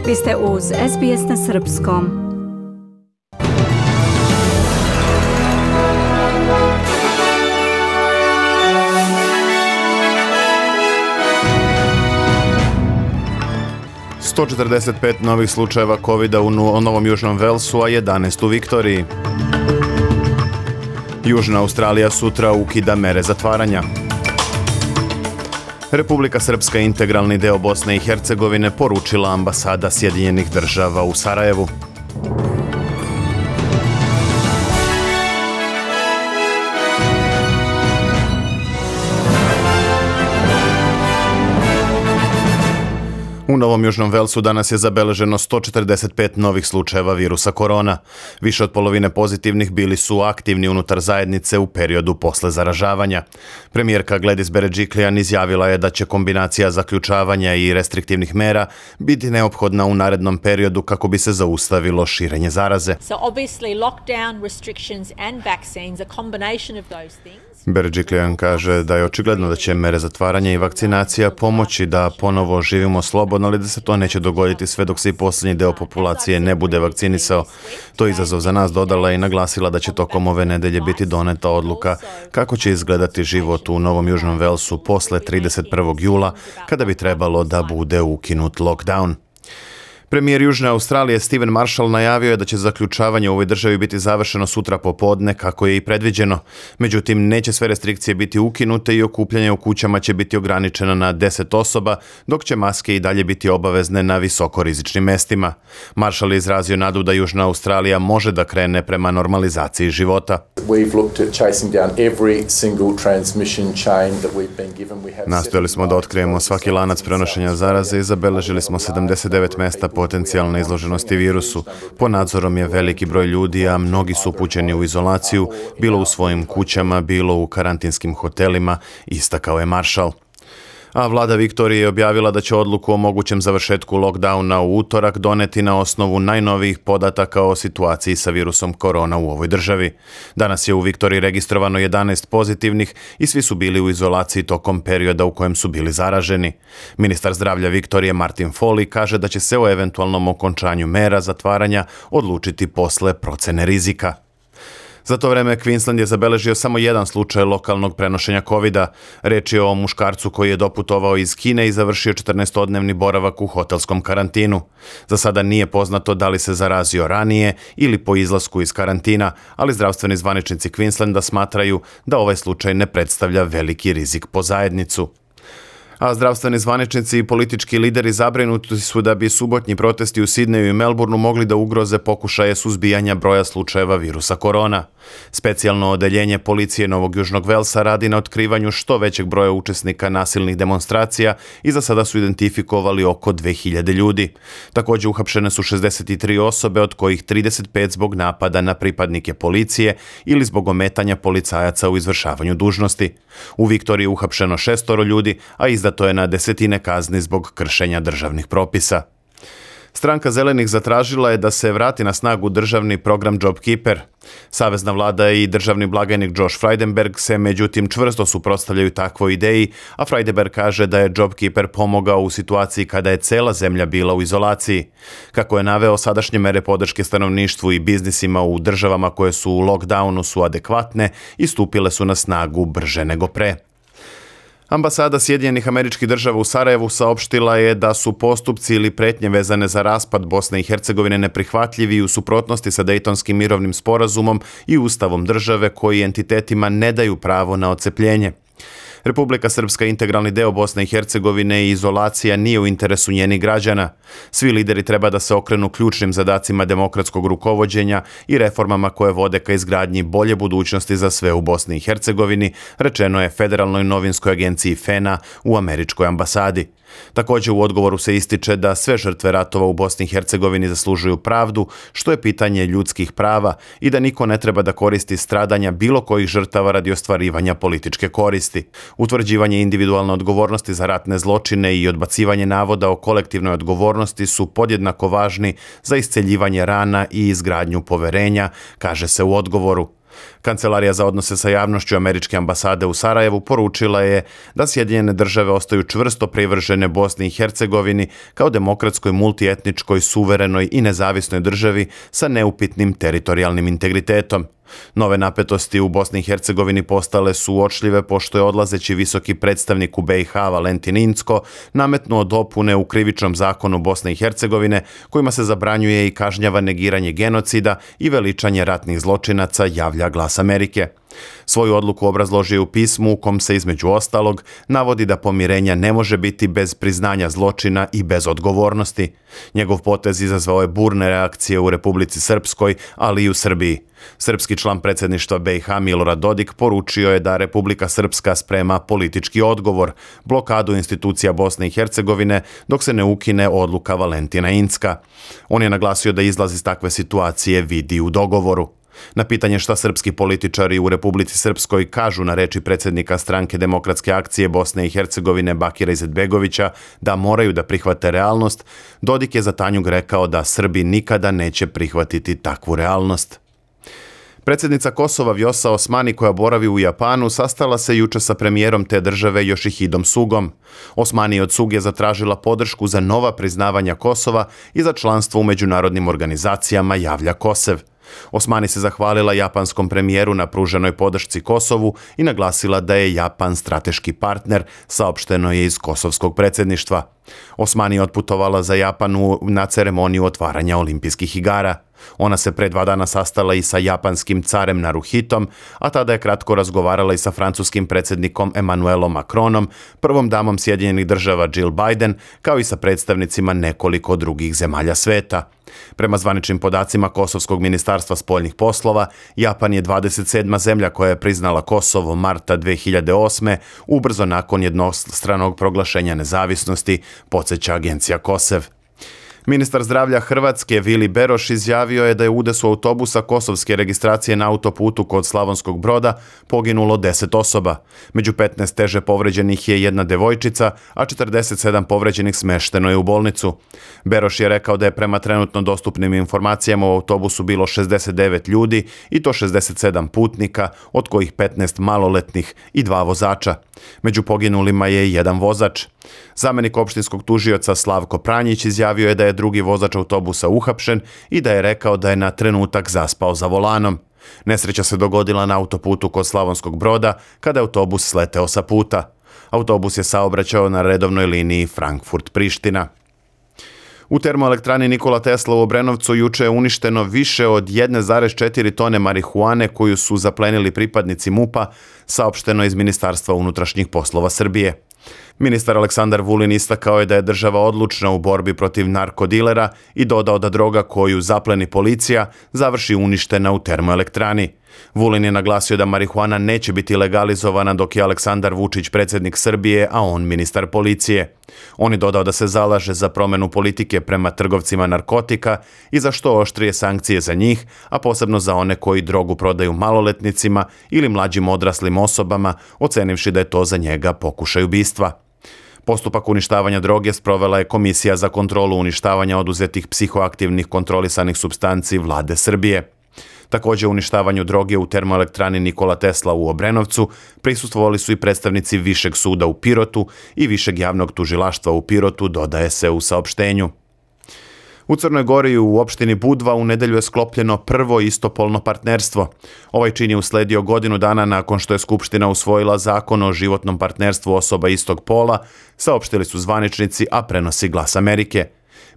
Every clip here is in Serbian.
Vi ste uz SBS na Srpskom. – 145 novih slučajeva COVID-a u Novom Južnom Velsu, a 11 u Viktoriji. Južna Australija sutra ukida mere zatvaranja. Republika Srpska, integralni deo Bosne i Hercegovine, poručila ambasada Sjedinjenih Država u Sarajevu. U Novom Južnom Velsu danas je zabeleženo 145 novih slučajeva virusa korona. Više od polovine pozitivnih bili su aktivni unutar zajednice u periodu posle zaražavanja. Premijerka Gladys Berejiklian izjavila je da će kombinacija zaključavanja i restriktivnih mera biti neophodna u narednom periodu kako bi se zaustavilo širenje zaraze. Berejiklian kaže da je očigledno da će mere zatvaranja i vakcinacija pomoći da ponovo živimo slobodno, ali da se to neće dogoditi sve dok se i posljednji deo populacije ne bude vakcinisao. To je izazov za nas, dodala i naglasila da će tokom ove nedelje biti doneta odluka kako će izgledati život u Novom Južnom Velsu posle 31. jula, kada bi trebalo da bude ukinut lockdown. Premijer Južne Australije Stephen Marshall najavio je da će zaključavanje u ovoj državi biti završeno sutra popodne kako je i predviđeno. Međutim, neće sve restrikcije biti ukinute i okupljanje u kućama će biti ograničeno na 10 osoba, dok će maske i dalje biti obavezne na visokorizičnim mestima. Marshall je izrazio nadu da Južna Australija može da krene prema normalizaciji života. Nastojali smo da otkrijemo svaki lanac prenošenja zaraze i zabeležili smo 79 mesta potencijalne izloženosti virusu. Pod nadzorom je veliki broj ljudi, a mnogi su upućeni u izolaciju, bilo u svojim kućama, bilo u karantinskim hotelima, istakao je Marshall. A vlada Viktorije je objavila da će odluku o mogućem završetku lockdowna u utorak doneti na osnovu najnovijih podataka o situaciji sa virusom korona u ovoj državi. Danas je u Viktoriji registrovano 11 pozitivnih i svi su bili u izolaciji tokom perioda u kojem su bili zaraženi. Ministar zdravlja Viktorije Martin Foley kaže da će se o eventualnom okončanju mera zatvaranja odlučiti posle procene rizika. Za to vreme Queensland je zabeležio samo jedan slučaj lokalnog prenošenja COVID-a. Reč je o muškarcu koji je doputovao iz Kine i završio 14-dnevni boravak u hotelskom karantinu. Za sada nije poznato da li se zarazio ranije ili po izlasku iz karantina, ali zdravstveni zvaničnici Queenslanda smatraju da ovaj slučaj ne predstavlja veliki rizik po zajednicu. A zdravstveni zvaničnici i politički lideri zabrinuti su da bi subotnji protesti u Sidneju i Melbourneu mogli da ugroze pokušaje suzbijanja broja slučajeva virusa korona. Specijalno odeljenje policije Novog Južnog Velsa radi na otkrivanju što većeg broja učesnika nasilnih demonstracija i za sada su identifikovali oko 2000 ljudi. Također uhapšene su 63 osobe, od kojih 35 zbog napada na pripadnike policije ili zbog ometanja policajaca u izvršavanju dužnosti. U Viktoriji je uhapšeno 6 ljudi, a izdato je na desetine kazni zbog kršenja državnih propisa. Stranka Zelenih zatražila je da se vrati na snagu državni program JobKeeper. Savezna vlada i državni blagajnik Josh Frydenberg se međutim čvrsto suprotstavljaju takvoj ideji, a Frydenberg kaže da je JobKeeper pomogao u situaciji kada je cela zemlja bila u izolaciji. Kako je naveo, sadašnje mere podrške stanovništvu i biznisima u državama koje su u lockdownu su adekvatne i stupile su na snagu brže nego pre. Ambasada Sjedinjenih Američkih Država u Sarajevu saopštila je da su postupci ili pretnje vezane za raspad Bosne i Hercegovine neprihvatljivi i u suprotnosti sa Dejtonskim mirovnim sporazumom i ustavom države koji entitetima ne daju pravo na odcepljenje. Republika Srpska, integralni deo Bosne i Hercegovine i izolacija nije u interesu njenih građana. Svi lideri treba da se okrenu ključnim zadacima demokratskog rukovođenja i reformama koje vode ka izgradnji bolje budućnosti za sve u Bosni i Hercegovini, rečeno je Federalnoj novinskoj agenciji FENA u američkoj ambasadi. Također u odgovoru se ističe da sve žrtve ratova u Bosni i Hercegovini zaslužuju pravdu, što je pitanje ljudskih prava, i da niko ne treba da koristi stradanja bilo kojih žrtava radi ostvarivanja političke koristi. Utvrđivanje individualne odgovornosti za ratne zločine i odbacivanje navoda o kolektivnoj odgovornosti su podjednako važni za isceljivanje rana i izgradnju poverenja, kaže se u odgovoru. Kancelarija za odnose sa javnošću američke ambasade u Sarajevu poručila je da Sjedinjene države ostaju čvrsto privržene Bosni i Hercegovini kao demokratskoj, multietničkoj, suverenoj i nezavisnoj državi sa neupitnim teritorijalnim integritetom. Nove napetosti u Bosni i Hercegovini postale su uočljive pošto je odlazeći visoki predstavnik u BiH Valentin Incko nametnuo dopune u krivičnom zakonu Bosne i Hercegovine kojima se zabranjuje i kažnjava negiranje genocida i veličanje ratnih zločinaca, javlja Glas Amerike. Svoju odluku obrazložio je u pismu u kom se između ostalog navodi da pomirenja ne može biti bez priznanja zločina i bez odgovornosti. Njegov potez izazvao je burne reakcije u Republici Srpskoj, ali i u Srbiji. Srpski član predsjedništva BiH Milorad Dodik poručio je da Republika Srpska sprema politički odgovor, blokadu institucija Bosne i Hercegovine dok se ne ukine odluka Valentina Incka. On je naglasio da izlaz iz takve situacije vidi u dogovoru. Na pitanje šta srpski političari u Republici Srpskoj kažu na reči predsjednika Stranke demokratske akcije Bosne i Hercegovine Bakira Izetbegovića da moraju da prihvate realnost, Dodik je za Tanjug rekao da Srbi nikada neće prihvatiti takvu realnost. Predsjednica Kosova Vjosa Osmani, koja boravi u Japanu, sastala se juče sa premijerom te države Yoshihidom Sugom. Osmani od Suge zatražila podršku za nova priznavanja Kosova i za članstvo u međunarodnim organizacijama, javlja Kosev. Osmani se zahvalila japanskom premijeru na pruženoj podršci Kosovu i naglasila da je Japan strateški partner, saopšteno je iz kosovskog predsjedništva. Osmani je otputovala za Japanu na ceremoniju otvaranja olimpijskih igara. Ona se pre 2 dana sastala i sa japanskim carem Naruhitom, a tada je kratko razgovarala i sa francuskim predsjednikom Emmanuelom Macronom, prvom damom Sjedinjenih država Jill Biden, kao i sa predstavnicima nekoliko drugih zemalja sveta. Prema zvaničnim podacima Kosovskog ministarstva spoljnih poslova, Japan je 27. zemlja koja je priznala Kosovo marta 2008. ubrzo nakon jednostranog proglašenja nezavisnosti, podsjeća agencija Kosev. Ministar zdravlja Hrvatske Vili Beroš izjavio je da je u udesu autobusa kosovske registracije na autoputu kod Slavonskog Broda poginulo 10 osoba. Među 15 teže povređenih je jedna devojčica, a 47 povređenih smešteno je u bolnicu. Beroš je rekao da je prema trenutno dostupnim informacijama u autobusu bilo 69 ljudi i to 67 putnika, od kojih 15 maloletnih i 2 vozača. Među poginulima je i jedan vozač. Zamenik opštinskog tužioca Slavko Pranjić izjavio je da je drugi vozač autobusa uhapšen i da je rekao da je na trenutak zaspao za volanom. Nesreća se dogodila na autoputu kod Slavonskog Broda kada je autobus sleteo sa puta. Autobus je saobraćao na redovnoj liniji Frankfurt-Priština. U termoelektrani Nikola Tesla u Obrenovcu juče je uništeno više od 1,4 tone marihuane koju su zaplenili pripadnici MUP-a, saopšteno iz Ministarstva unutrašnjih poslova Srbije. Ministar Aleksandar Vulin istakao je da je država odlučna u borbi protiv narkodilera i dodao da droga koju zapleni policija završi uništena u termoelektrani. Vulin je naglasio da marihuana neće biti legalizovana dok je Aleksandar Vučić predsjednik Srbije, a on ministar policije. On je dodao da se zalaže za promjenu politike prema trgovcima narkotika i za što oštrije sankcije za njih, a posebno za one koji drogu prodaju maloletnicima ili mlađim odraslim osobama, ocenivši da je to za njega pokušaj ubistva. Postupak uništavanja droge sprovela je Komisija za kontrolu uništavanja oduzetih psihoaktivnih kontrolisanih supstanci Vlade Srbije. Također uništavanju droge u termoelektrani Nikola Tesla u Obrenovcu prisustvovali su i predstavnici Višeg suda u Pirotu i Višeg javnog tužilaštva u Pirotu, dodaje se u saopštenju. U Crnoj Gori u opštini Budva u nedjelju je sklopljeno prvo istopolno partnerstvo. Ovaj čin je usledio godinu dana nakon što je Skupština usvojila zakon o životnom partnerstvu osoba istog pola, saopštili su zvaničnici, a prenosi Glas Amerike.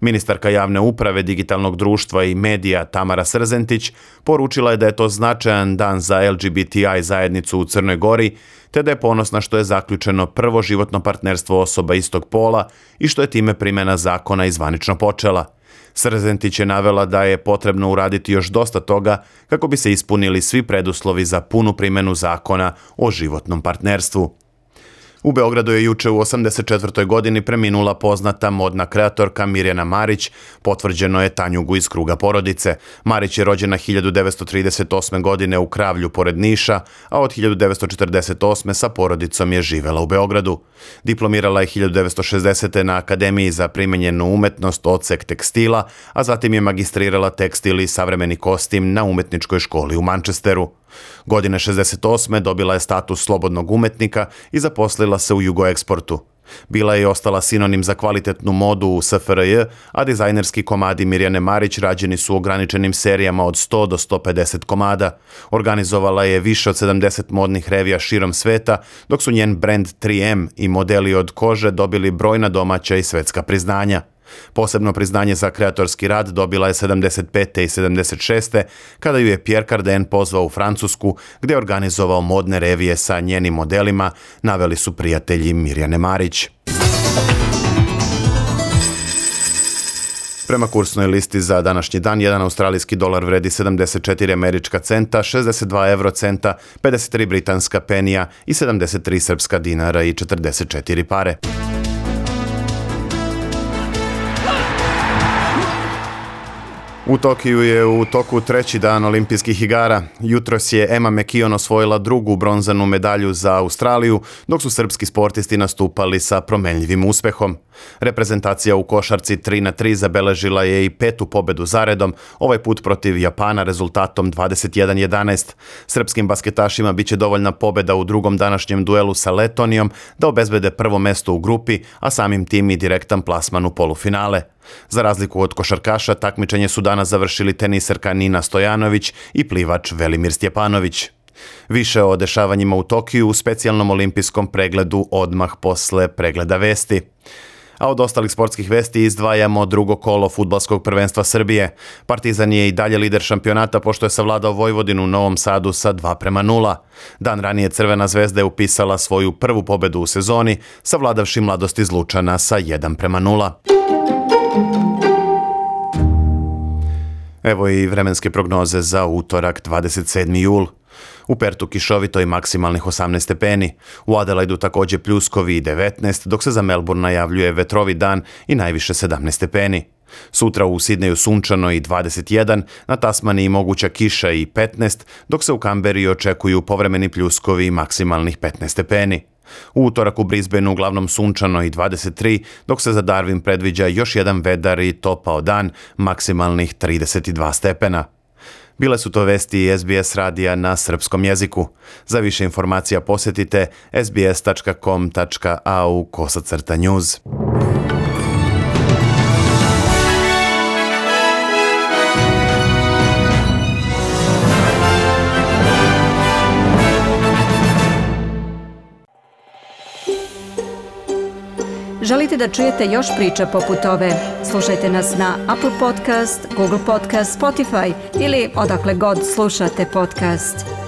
Ministarka javne uprave, digitalnog društva i medija Tamara Srzentić poručila je da je to značajan dan za LGBTI zajednicu u Crnoj Gori, te da je ponosna što je zaključeno prvo životno partnerstvo osoba istog pola i što je time primjena zakona i zvanično počela. Srzentić je navela da je potrebno uraditi još dosta toga kako bi se ispunili svi preduslovi za punu primjenu zakona o životnom partnerstvu. U Beogradu je juče u 84. godini preminula poznata modna kreatorka Mirjana Marić, potvrđeno je Tanjugu iz kruga porodice. Marić je rođena 1938. godine u Kravlju pored Niša, a od 1948. sa porodicom je živela u Beogradu. Diplomirala je 1960. na Akademiji za primenjenu umetnost odsek tekstila, a zatim je magistrirala tekstil i savremeni kostim na umetničkoj školi u Manchesteru. Godine 68. dobila je status slobodnog umetnika i zaposlila se u Jugoeksportu. Bila je i ostala sinonim za kvalitetnu modu u SFRJ, a dizajnerski komadi Mirjane Marić rađeni su u ograničenim serijama od 100 do 150 komada. Organizovala je više od 70 modnih revija širom sveta, dok su njen brend 3M i modeli od kože dobili brojna domaća i svetska priznanja. Posebno priznanje za kreatorski rad dobila je 75. i 76. kada ju je Pierre Cardin pozvao u Francusku, gdje je organizovao modne revije sa njenim modelima, naveli su prijatelji Mirjane Marić. Prema kursnoj listi za današnji dan, jedan australijski dolar vredi 74 američka centa, 62 eurocenta, 53 britanska penija i 73 srpska dinara i 44 pare. U Tokiju je u toku treći dan olimpijskih igara. Jutros je Emma McKeon osvojila drugu bronzanu medalju za Australiju, dok su srpski sportisti nastupali sa promenljivim uspehom. Reprezentacija u košarci 3-3 zabeležila je i petu pobedu zaredom, ovaj put protiv Japana rezultatom 21-11. Srpskim basketašima biće dovoljna pobeda u drugom današnjem duelu sa Letonijom da obezbede prvo mesto u grupi, a samim tim i direktan plasman u polufinale. Za razliku od košarkaša, takmičenje su danas završili teniserka Nina Stojanović i plivač Velimir Stjepanović. Više o dešavanjima u Tokiju u specijalnom olimpijskom pregledu odmah posle pregleda vesti. A od ostalih sportskih vesti izdvajamo drugo kolo fudbalskog prvenstva Srbije. Partizan je i dalje lider šampionata pošto je savladao Vojvodinu u Novom Sadu sa 2-0. Dan ranije Crvena zvezda je upisala svoju prvu pobedu u sezoni, savladavši Mladost iz Lučana sa 1-0. Evo i vremenske prognoze za utorak 27. jul. U Pertu kišovito i maksimalnih 18 stepeni. U Adelaidu također pljuskovi i 19, dok se za Melbourne najavljuje vetrovi dan i najviše 17 stepeni. Sutra u Sidneju sunčano i 21, na Tasmaniji moguća kiša i 15, dok se u Kamberi očekuju povremeni pljuskovi i maksimalnih 15 stepeni. U utorak u Brisbaneu uglavnom sunčano i 23, dok se za Darwin predviđa još jedan vedar i topao dan, maksimalnih 32 stepena. Bile su to vesti SBS radija na srpskom jeziku. Za više informacija posjetite sbs.com.au/news. Želite da čujete još priča poput ove? Slušajte nas na Apple Podcast, Google Podcast, Spotify ili odakle god slušate podcast.